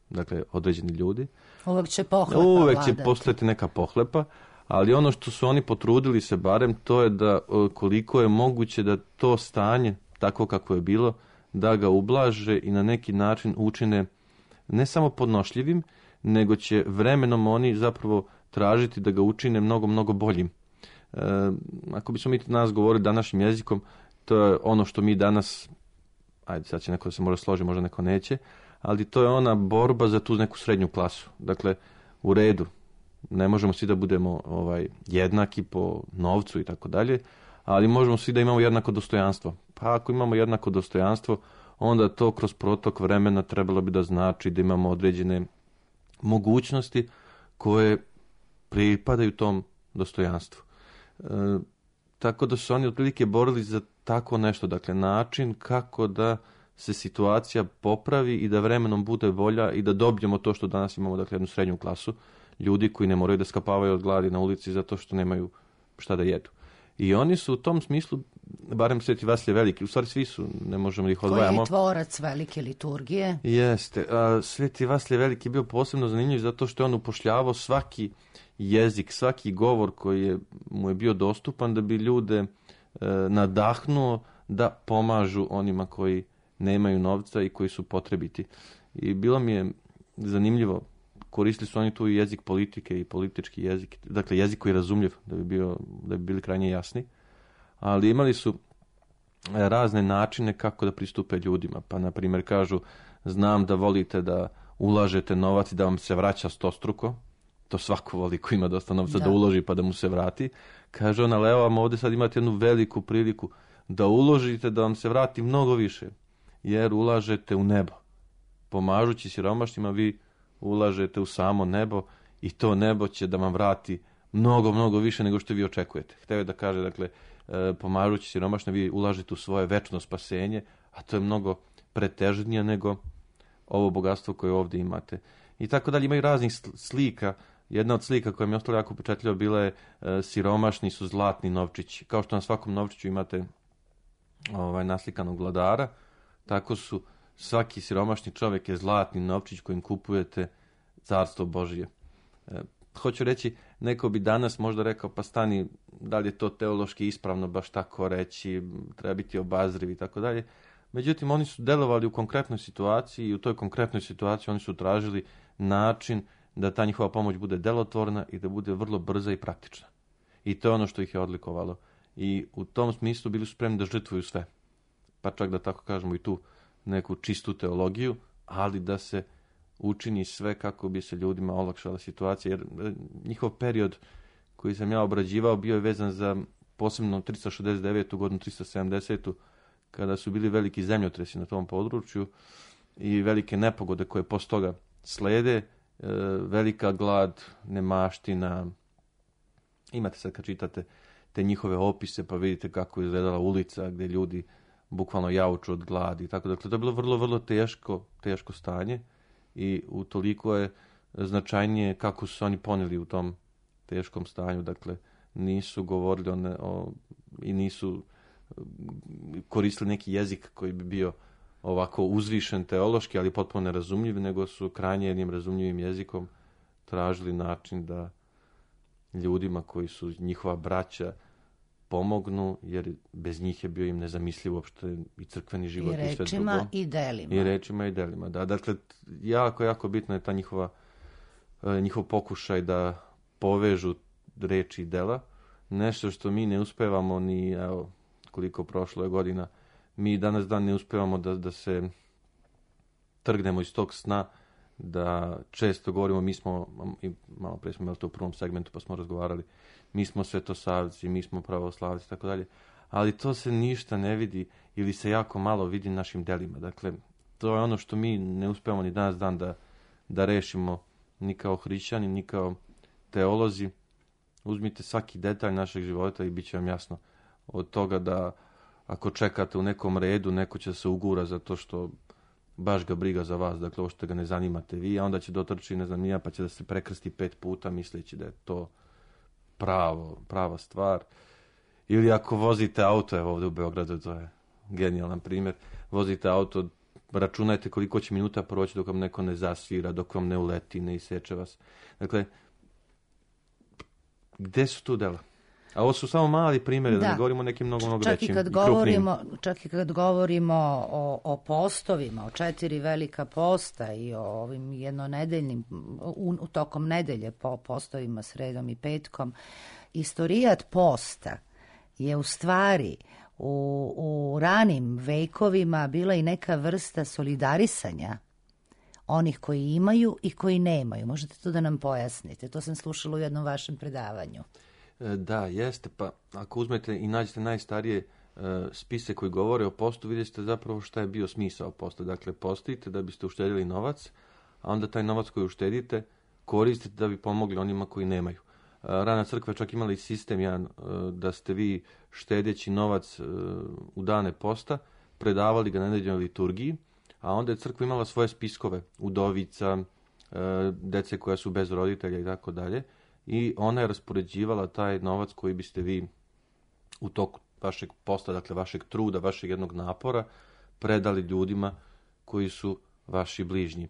dakle, određeni ljudi. Uvijek će pohlepa Uvijek će vladati. postojati neka pohlepa, ali ono što su oni potrudili se barem, to je da koliko je moguće da to stanje, tako kako je bilo, da ga ublaže i na neki način učine ne samo podnošljivim, nego će vremenom oni zapravo tražiti da ga učine mnogo, mnogo boljim. E, ako bismo mi danas govorili današnjim jezikom, to je ono što mi danas, ajde sad će neko da se možda složi, možda neko neće, ali to je ona borba za tu neku srednju klasu. Dakle, u redu, ne možemo svi da budemo ovaj, jednaki po novcu i tako dalje, ali možemo svi da imamo jednako dostojanstvo. Pa ako imamo jednako dostojanstvo, onda to kroz protok vremena trebalo bi da znači da imamo određene mogućnosti koje pripadaju tom dostojanstvu. E, tako da su oni otprilike borili za tako nešto, dakle način kako da se situacija popravi i da vremenom bude bolja i da dobijemo to što danas imamo, dakle jednu srednju klasu, ljudi koji ne moraju da skapavaju od gladi na ulici zato što nemaju šta da jedu. I oni su u tom smislu, barem Sveti Vasilije Veliki, u stvari svi su, ne možemo da ih odvajamo. Koji je tvorac velike liturgije? Jeste. A, Sveti Vasilije Veliki je bio posebno zanimljiv zato što je on upošljavao svaki jezik, svaki govor koji je, mu je bio dostupan da bi ljude e, nadahnuo da pomažu onima koji nemaju novca i koji su potrebiti. I bilo mi je zanimljivo, koristili su oni tu i jezik politike i politički jezik, dakle jezik koji je razumljiv, da bi, bio, da bi bili krajnje jasni, ali imali su razne načine kako da pristupe ljudima. Pa, na primjer, kažu, znam da volite da ulažete novac i da vam se vraća stostruko, to svako voli ko ima dosta novca da. da uloži pa da mu se vrati. Kaže ona, evo vam ovdje sad imate jednu veliku priliku da uložite da vam se vrati mnogo više, jer ulažete u nebo. Pomažući siromašnima vi ulažete u samo nebo i to nebo će da vam vrati mnogo, mnogo više nego što vi očekujete. Hteo je da kaže, dakle, pomažući siromašne vi ulažete u svoje večno spasenje, a to je mnogo pretežnije nego ovo bogatstvo koje ovdje imate. I tako dalje, imaju raznih slika. Jedna od slika koja mi je ostala jako upečatljiva bila je e, siromašni su zlatni novčići. Kao što na svakom novčiću imate ovaj, naslikanog vladara, tako su svaki siromašni čovjek je zlatni novčić kojim kupujete carstvo Božije. E, hoću reći, neko bi danas možda rekao, pa stani, da li je to teološki ispravno baš tako reći, treba biti obazriv i tako dalje. Međutim, oni su delovali u konkretnoj situaciji i u toj konkretnoj situaciji oni su tražili način da ta njihova pomoć bude delotvorna i da bude vrlo brza i praktična. I to je ono što ih je odlikovalo. I u tom smislu bili su spremni da žrtvuju sve. pa čak da tako kažemo i tu neku čistu teologiju, ali da se učini sve kako bi se ljudima olakšala situacija, jer njihov period koji sam ja obrađivao bio je vezan za posebno tristo šezdeset devetu godinu, tristo sedamdesetu kada su bili veliki zemljotresi na tom području i velike nepogode koje posle toga slede, e, velika glad, nemaština. Imate sad kad čitate te njihove opise pa vidite kako je izgledala ulica gdje ljudi bukvalno jauču od gladi. Tako, dakle, to je bilo vrlo, vrlo teško, teško stanje i utoliko je značajnije kako su oni ponijeli u tom teškom stanju. Dakle, nisu govorili o ne, o, i nisu koristili neki jezik koji bi bio ovako uzvišen teološki, ali potpuno nerazumljiv, nego su krajnje jednim razumljivim jezikom tražili način da ljudima koji su njihova braća pomognu, jer bez njih je bio im nezamisliv uopšte i crkveni život i, i sve rečima drugo. i delima. I rečima i delima, da. Dakle, jako, jako bitno je ta njihova, njihov pokušaj da povežu reči i dela. Nešto što mi ne uspevamo ni, evo, koliko prošlo je godina, mi danas dan ne uspevamo da, da se trgnemo iz tog sna, da često govorimo, mi smo, i malo pre smo imali to u prvom segmentu pa smo razgovarali, mi smo svetosavci, mi smo pravoslavci, tako dalje, ali to se ništa ne vidi ili se jako malo vidi našim delima. Dakle, to je ono što mi ne uspevamo ni danas dan da, da rešimo ni kao hrišćani, ni kao teolozi. Uzmite svaki detalj našeg života i bit će vam jasno. Od toga da ako čekate u nekom redu, neko će se ugura zato što baš ga briga za vas, dakle ovo što ga ne zanimate vi, a onda će dotrči, ne znam, nija, pa će da se prekrsti pet puta misleći da je to pravo, prava stvar. Ili ako vozite auto, evo ovdje u Beogradu, to je genijalan primjer, vozite auto, računajte koliko će minuta proći dok vam neko ne zasvira, dok vam ne uleti, ne iseče vas. Dakle, gde su tu dela? A ovo su samo mali primjeri, da, da ne govorimo o nekim mnogo, mnogo čak većim i kad i govorimo, čak i kad govorimo o, o postovima, o četiri velika posta i o ovim jednonedeljnim, u, u tokom nedelje po postovima sredom i petkom, istorijat posta je u stvari u, u ranim vekovima bila i neka vrsta solidarisanja onih koji imaju i koji nemaju. Možete to da nam pojasnite? To sam slušala u jednom vašem predavanju. Da, jeste, pa ako uzmete i nađete najstarije uh, spise koji govore o postu, vidite zapravo šta je bio smisao posta. Dakle, postite da biste uštedili novac, a onda taj novac koji uštedite koristite da bi pomogli onima koji nemaju. Uh, rana crkva čak imala i sistem jedan, uh, da ste vi štedeći novac uh, u dane posta, predavali ga na nedeljnoj liturgiji, a onda je crkva imala svoje spiskove, udovica, uh, dece koja su bez roditelja i tako dalje. I ona je raspoređivala taj novac koji biste vi u toku vašeg posta, dakle vašeg truda, vašeg jednog napora, predali ljudima koji su vaši bližnji.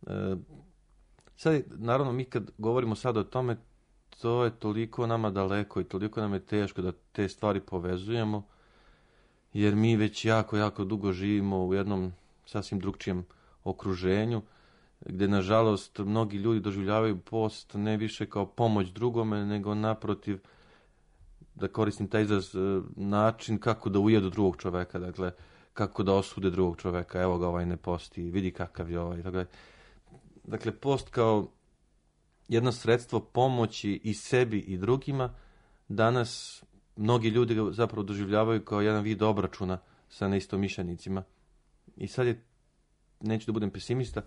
E, sad, naravno, mi kad govorimo sad o tome, to je toliko nama daleko i toliko nam je teško da te stvari povezujemo, jer mi već jako, jako dugo živimo u jednom sasvim drugčijem okruženju, gdje nažalost mnogi ljudi doživljavaju post ne više kao pomoć drugome, nego naprotiv, da koristim taj izraz, način kako da ujedu drugog čoveka, dakle, kako da osude drugog čoveka, evo ga ovaj ne posti, vidi kakav je ovaj. Dakle, dakle post kao jedno sredstvo pomoći i sebi i drugima, danas mnogi ljudi ga zapravo doživljavaju kao jedan vid obračuna sa neistomišljenicima. I sad je, neću da budem pesimista,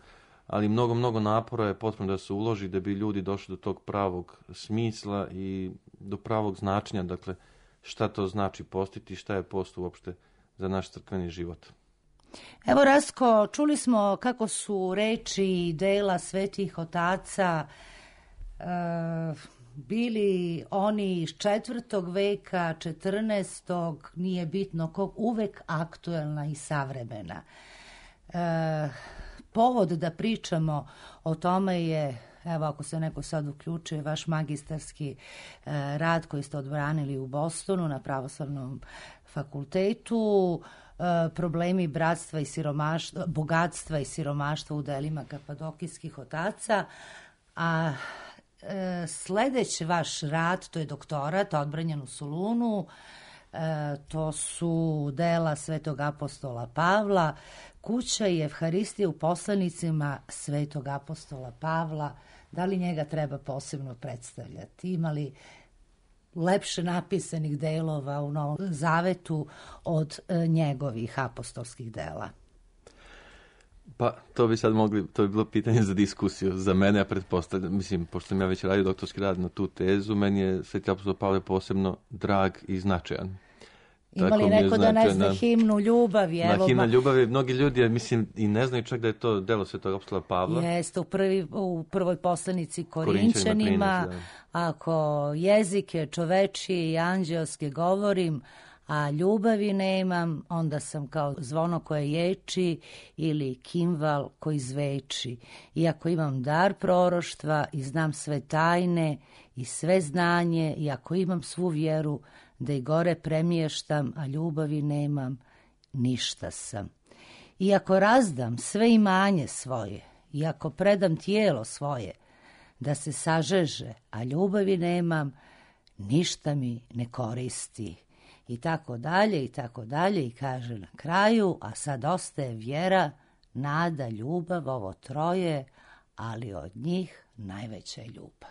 ali mnogo, mnogo napora je potrebno da se uloži da bi ljudi došli do tog pravog smisla i do pravog značenja, dakle, šta to znači postiti, šta je post uopšte za naš crkveni život. Evo, Rastko, čuli smo kako su reči i dela svetih otaca e, bili oni iz četvrtog veka, četrnaestog, nije bitno kog, uvek aktuelna i savremena. E, Povod da pričamo o tome je, evo ako se neko sad uključuje, vaš magistarski e, rad koji ste odbranili u Bostonu na Pravoslavnom fakultetu, e, problemi bratstva i siromaštva, bogatstva i siromaštva u delima kapadokijskih otaca, a e, sledeći vaš rad, to je doktorat, odbranjen u Solunu, to su dela svetog apostola Pavla, kuća i Evharistija u poslanicima svetog apostola Pavla. Da li njega treba posebno predstavljati? Ima li lepše napisanih delova u Novom Zavetu od njegovih apostolskih dela? Pa, to bi sad mogli, to bi bilo pitanje za diskusiju. Za mene, ja pretpostavljam, mislim, pošto sam ja već radio doktorski rad na tu tezu, meni je sveti apostol Pavle posebno drag i značajan. Ima li neko da ne zna himnu ljubavi? Na himna ljubavi, mnogi ljudi, mislim, i ne znaju čak da je to delo svetog apostola Pavla. Jeste, u, prvi, u prvoj poslanici Korinčanima, trinaest, ako jezike čovečije i anđelske govorim, a ljubavi nemam, onda sam kao zvono koje ječi ili kimval koji zveči. Iako imam dar proroštva i znam sve tajne i sve znanje, i ako imam svu vjeru da i gore premještam, a ljubavi nemam, ništa sam. Iako razdam sve imanje svoje, iako predam tijelo svoje, da se sažeže, a ljubavi nemam, ništa mi ne koristi. I tako dalje, i tako dalje, i kaže na kraju, a sad ostaje vjera, nada, ljubav, ovo troje, ali od njih najveća je ljubav.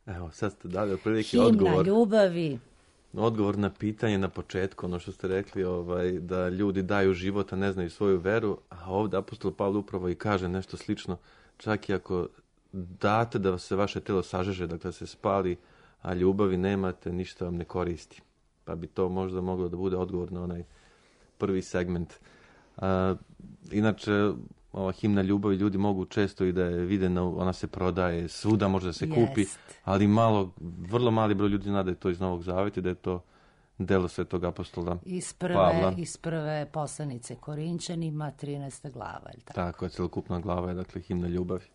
Evo, sad ste dali otprilike odgovor. Himna ljubavi. Odgovor na pitanje na početku, ono što ste rekli, ovaj, da ljudi daju život, a ne znaju svoju veru, a ovdje apostol Pavle upravo i kaže nešto slično, čak i ako date da se vaše telo sažeže, dakle se spali, a ljubavi nemate, ništa vam ne koristi. Pa bi to možda moglo da bude odgovor na onaj prvi segment. A, inače, ova himna ljubavi, ljudi mogu često i da je vide, ona se prodaje, svuda može da se Jest. kupi, ali malo, vrlo mali broj ljudi zna da je to iz Novog Zaveta, da je to delo svetog apostola iz prve, Pavla. Iz prve poslanice Korinčanima, trinaesta glava. Je tako? Tako je, celokupna glava je, dakle, himna ljubavi.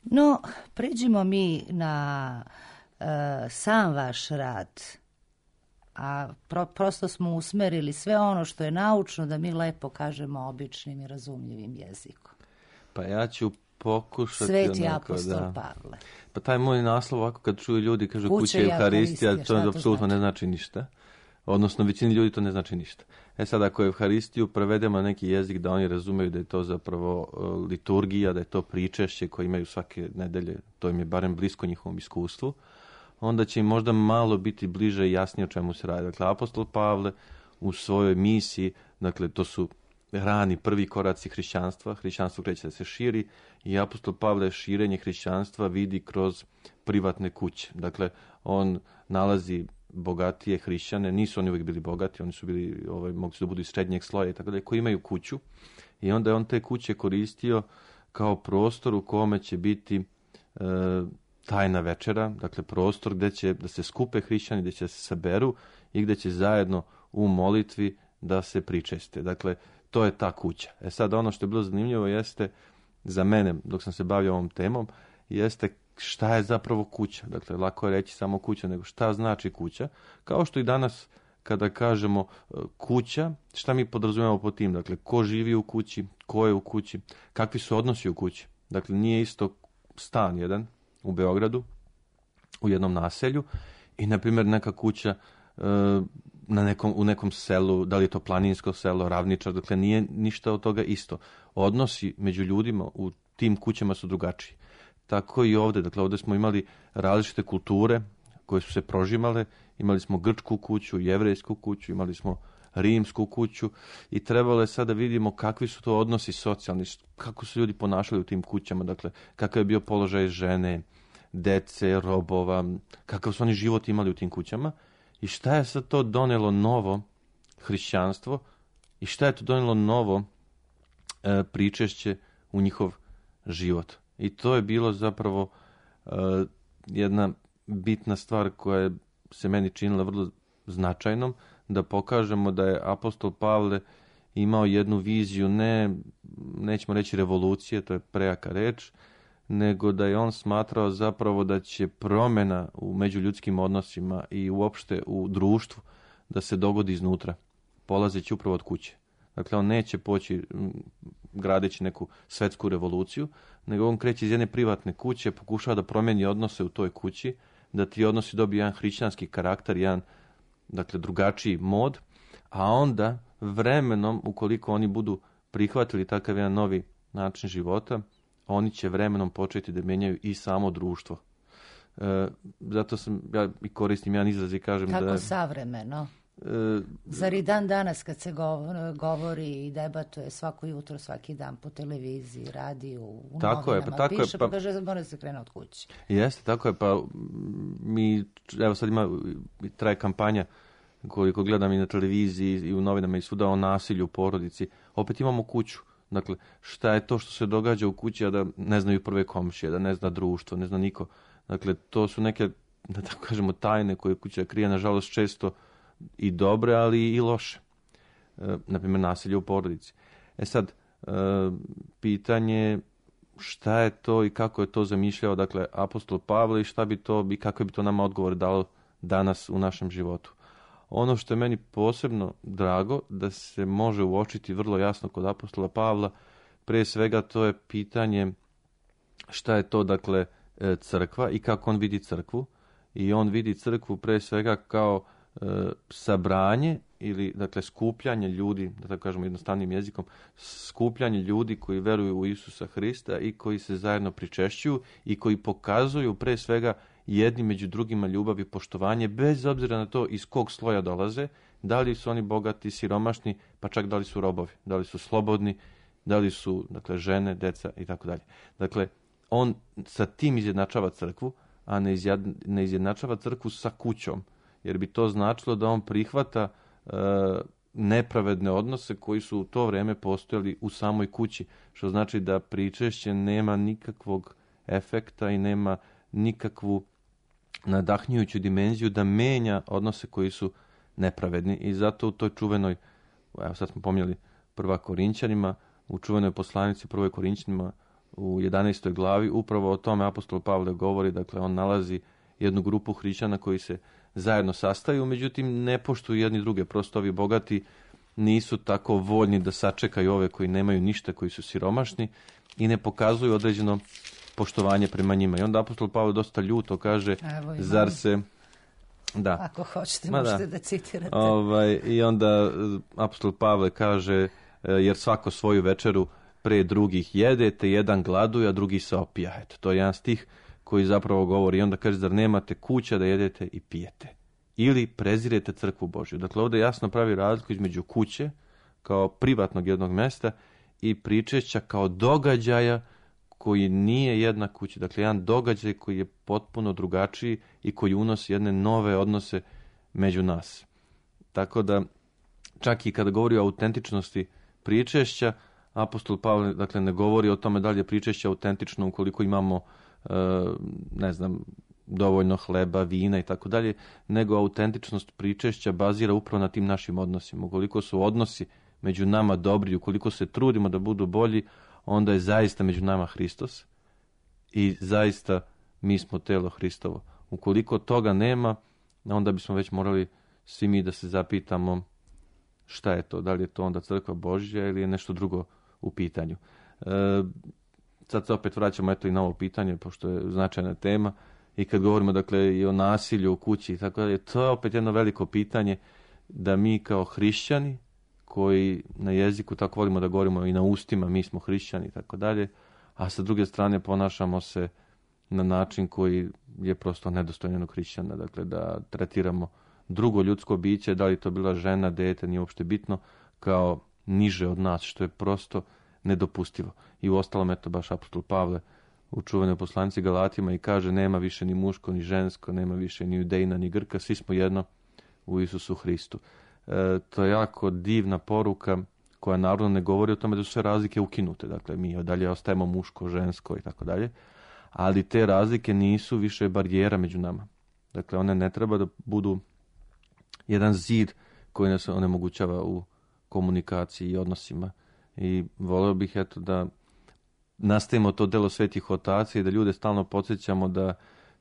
No, pređimo mi na uh, sam vaš rad, a pro, prosto smo usmerili sve ono što je naučno da mi lepo kažemo običnim i razumljivim jezikom. Pa ja ću pokušati... Sveti onako, apostol da. Pavle. Pa taj moj naslov, ovako kad čuju ljudi, kažu Kuća kuća i i Evharistija, Evharistija, to to apsolutno znači? ne znači ništa. Odnosno, većini ljudi to ne znači ništa. E sad, ako Evharistiju prevedemo na neki jezik da oni razumeju da je to zapravo uh, liturgija, da je to pričešće koje imaju svake nedelje, to im je barem blisko njihovom iskustvu, onda će im možda malo biti bliže i jasnije o čemu se radi. Dakle, apostol Pavle u svojoj misiji, dakle, to su rani prvi koraci hrišćanstva, hrišćanstvo kreće da se širi i apostol Pavle širenje hrišćanstva vidi kroz privatne kuće. Dakle, on nalazi bogatije hrišćane, nisu oni uvijek bili bogati, oni su bili, ovaj, mogli su da budu iz srednjeg sloja i tako dalje, koji imaju kuću i onda je on te kuće koristio kao prostor u kome će biti e, tajna večera, dakle prostor gdje će da se skupe hrišćani, gdje će se saberu i gdje će zajedno u molitvi da se pričeste. Dakle, to je ta kuća. E sad, ono što je bilo zanimljivo jeste, za mene, dok sam se bavio ovom temom, jeste šta je zapravo kuća. Dakle, lako je reći samo kuća, nego šta znači kuća. Kao što i danas, kada kažemo kuća, šta mi podrazumijemo po tim? Dakle, ko živi u kući, ko je u kući, kakvi su odnosi u kući. Dakle, nije isto stan jedan u Beogradu, u jednom naselju i, na primjer, neka kuća e, na nekom, u nekom selu, da li je to planinsko selo, ravničar, dakle, nije ništa od toga isto. Odnosi među ljudima u tim kućama su drugačiji. Tako i ovdje, dakle, ovdje smo imali različite kulture koje su se prožimale, imali smo grčku kuću, jevrejsku kuću, imali smo rimsku kuću i trebalo je sada da vidimo kakvi su to odnosi socijalni, kako su ljudi ponašali u tim kućama, dakle, kakav je bio položaj žene, dece, robova, kakav su oni život imali u tim kućama i šta je sad to donelo novo hrišćanstvo i šta je to donelo novo e, pričešće u njihov život. I to je bilo zapravo uh, jedna bitna stvar koja se meni činila vrlo značajnom, da pokažemo da je apostol Pavle imao jednu viziju, ne, nećemo reći revolucije, to je prejaka reč, nego da je on smatrao zapravo da će promjena u međuljudskim odnosima i uopšte u društvu da se dogodi iznutra, polazeći upravo od kuće. Dakle, on neće poći gradeći neku svetsku revoluciju, nego on kreće iz jedne privatne kuće, pokušava da promijeni odnose u toj kući, da ti odnosi dobiju jedan hrišćanski karakter, jedan, dakle, drugačiji mod, a onda vremenom, ukoliko oni budu prihvatili takav jedan novi način života, oni će vremenom početi da menjaju i samo društvo. E, zato sam, ja i koristim jedan izraz i kažem Kako da... Kako savremeno? E, Zar i dan danas kad se govori i debatuje svako jutro, svaki dan po televiziji, radiju, u tako novinama, je, pa tako piše, je, pa, pa kaže mora da se krene od kuće. Jeste, tako je, pa mi, evo sad ima, traje kampanja, koliko gledam i na televiziji i u novinama i svuda o nasilju u porodici, opet imamo kuću. Dakle, šta je to što se događa u kući, a da ne znaju prve komšije, da ne zna društvo, ne zna niko. Dakle, to su neke, da tako kažemo, tajne koje kuća krije, nažalost, često i dobre, ali i loše. E, naprimjer, nasilje u porodici. E sad, e, pitanje šta je to i kako je to zamišljao, dakle, apostol Pavle i šta bi to, i kako bi to nama odgovor dalo danas u našem životu. Ono što je meni posebno drago, da se može uočiti vrlo jasno kod apostola Pavla, prije svega to je pitanje šta je to, dakle, crkva i kako on vidi crkvu. I on vidi crkvu prije svega kao e, sabranje ili, dakle, skupljanje ljudi, da tako kažemo jednostavnim jezikom, skupljanje ljudi koji veruju u Isusa Hrista i koji se zajedno pričešćuju i koji pokazuju prije svega jedni među drugima ljubav i poštovanje, bez obzira na to iz kog sloja dolaze, da li su oni bogati, siromašni, pa čak da li su robovi, da li su slobodni, da li su, dakle, žene, deca i tako dalje. Dakle, on sa tim izjednačava crkvu, a ne, izjad, ne izjednačava crkvu sa kućom, jer bi to značilo da on prihvata e, nepravedne odnose koji su u to vrijeme postojali u samoj kući, što znači da pričešće nema nikakvog efekta i nema nikakvu nadahnjujuću dimenziju da menja odnose koji su nepravedni. I zato u toj čuvenoj, evo sad smo pomnjeli prva Korinćanima, u čuvenoj poslanici prvoj Korinćanima u jedanaestoj glavi, upravo o tome apostol Pavle govori, dakle on nalazi jednu grupu hrišćana koji se zajedno sastaju, međutim ne poštuju jedni druge, prosto ovi bogati nisu tako voljni da sačekaju ove koji nemaju ništa, koji su siromašni i ne pokazuju određeno poštovanje prema njima. I onda apostol Pavle dosta ljuto kaže, zar se... Da. Ako hoćete, možete da, da citirate. Ovaj, I onda apostol Pavle kaže, jer svako svoju večeru pre drugih jedete, jedan gladuje, a drugi se opija. Eto, to je jedan stih koji zapravo govori. I onda kaže, zar nemate kuća da jedete i pijete? Ili prezirete crkvu Božju. Dakle, ovdje jasno pravi razliku između kuće, kao privatnog jednog mjesta, i pričešća kao događaja koji nije jednak kući. Dakle, jedan događaj koji je potpuno drugačiji i koji unosi jedne nove odnose među nas. Tako da, čak i kada govori o autentičnosti pričešća, apostol Pavle, dakle, ne govori o tome da li je pričešće autentično ukoliko imamo, e, ne znam, dovoljno hleba, vina i tako dalje, nego autentičnost pričešća bazira upravo na tim našim odnosima. Ukoliko su odnosi među nama dobri, ukoliko se trudimo da budu bolji, onda je zaista među nama Hristos i zaista mi smo telo Hristovo. Ukoliko toga nema, onda bismo već morali svi mi da se zapitamo šta je to, da li je to onda crkva Božja ili je nešto drugo u pitanju. E, sad se opet vraćamo eto i na ovo pitanje, pošto je značajna tema, i kad govorimo, dakle, i o nasilju u kući i tako dalje, to je opet jedno veliko pitanje da mi kao hrišćani, koji na jeziku tako volimo da govorimo i na ustima, mi smo hrišćani i tako dalje, a sa druge strane ponašamo se na način koji je prosto nedostojan jednog hrišćana, dakle da tretiramo drugo ljudsko biće, da li to bila žena, dete, nije uopšte bitno, kao niže od nas, što je prosto nedopustivo. I u ostalom, eto, baš apostol Pavle u čuvenoj poslanici Galatima i kaže, nema više ni muško, ni žensko, nema više ni judejna, ni Grka, svi smo jedno u Isusu Hristu. E, to je jako divna poruka koja naravno ne govori o tome da su sve razlike ukinute. Dakle, mi dalje ostajemo muško, žensko i tako dalje. Ali te razlike nisu više barijera među nama. Dakle, one ne treba da budu jedan zid koji nas onemogućava u komunikaciji i odnosima. I volio bih eto da nastavimo to delo svetih otaca i da ljude stalno podsjećamo da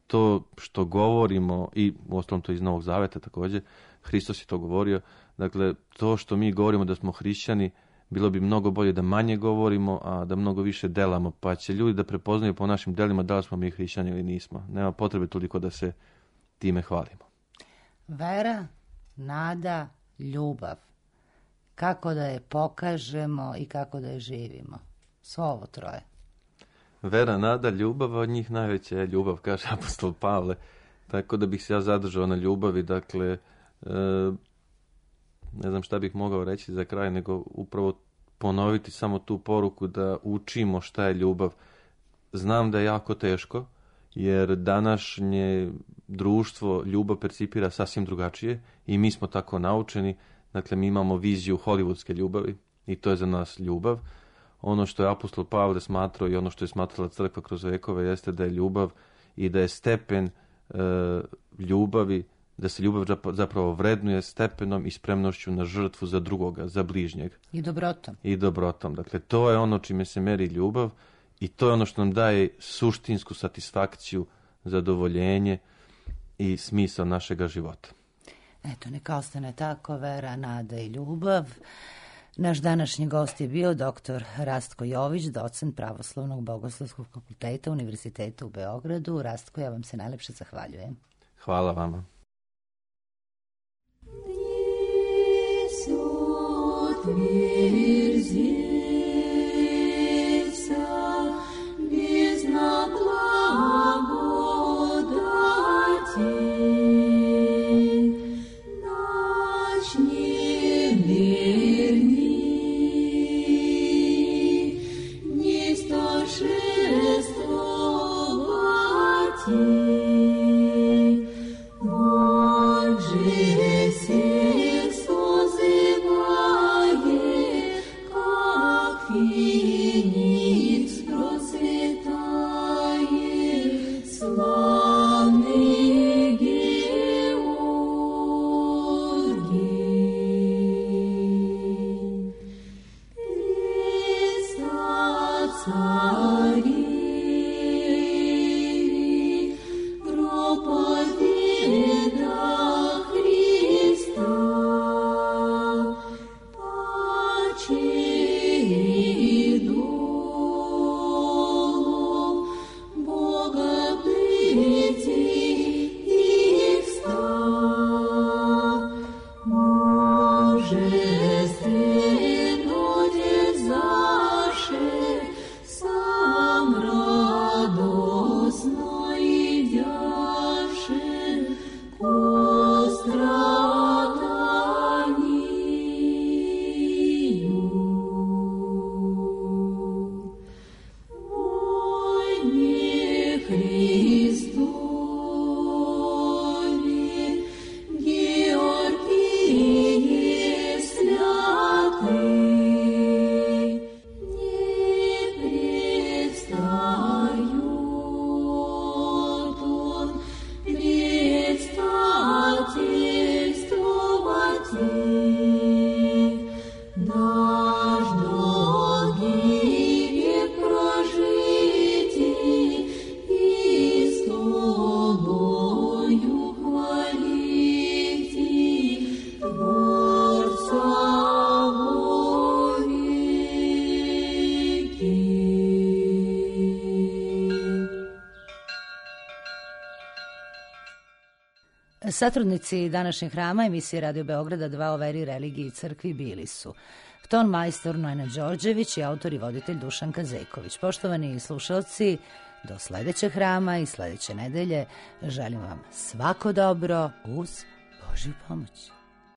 to što govorimo, i uostalom to iz Novog Zaveta također, Hristos je to govorio, dakle to što mi govorimo da smo hrišćani, bilo bi mnogo bolje da manje govorimo, a da mnogo više delamo, pa će ljudi da prepoznaju po našim delima da li smo mi hrišćani ili nismo. Nema potrebe toliko da se time hvalimo. Vera, nada, ljubav. Kako da je pokažemo i kako da je živimo. Svo ovo troje. Vera, nada, ljubav, od njih najveća je ljubav, kaže apostol Pavle. Tako da bih se ja zadržao na ljubavi. Dakle, e, ne znam šta bih mogao reći za kraj, nego upravo ponoviti samo tu poruku da učimo šta je ljubav. Znam da je jako teško, jer današnje društvo ljubav percipira sasvim drugačije i mi smo tako naučeni. Dakle, mi imamo viziju hollywoodske ljubavi i to je za nas ljubav. Ono što je apostol Pavle smatrao i ono što je smatrala crkva kroz vekove jeste da je ljubav i da je stepen e, ljubavi, da se ljubav zapravo vrednuje stepenom i spremnošću na žrtvu za drugoga, za bližnjeg. I dobrotom. I dobrotom. Dakle, to je ono čime se meri ljubav i to je ono što nam daje suštinsku satisfakciju, zadovoljenje i smisao našega života. Eto, neka ostane tako, vera, nada i ljubav. Naš današnji gost je bio doktor Rastko Jović, docent Pravoslavnog bogoslovskog fakulteta Univerziteta u Beogradu. Rastko, ja vam se najlepše zahvaljujem. Hvala vama. Satrudnici današnjeg hrama emisije Radio Beograda dva o veri, religiji i crkvi bili su ton majstor Nojna Đorđević i autor i voditelj Dušan Kazeković. Poštovani slušalci, do sledećeg hrama i sledeće nedelje želim vam svako dobro uz Božju pomoć.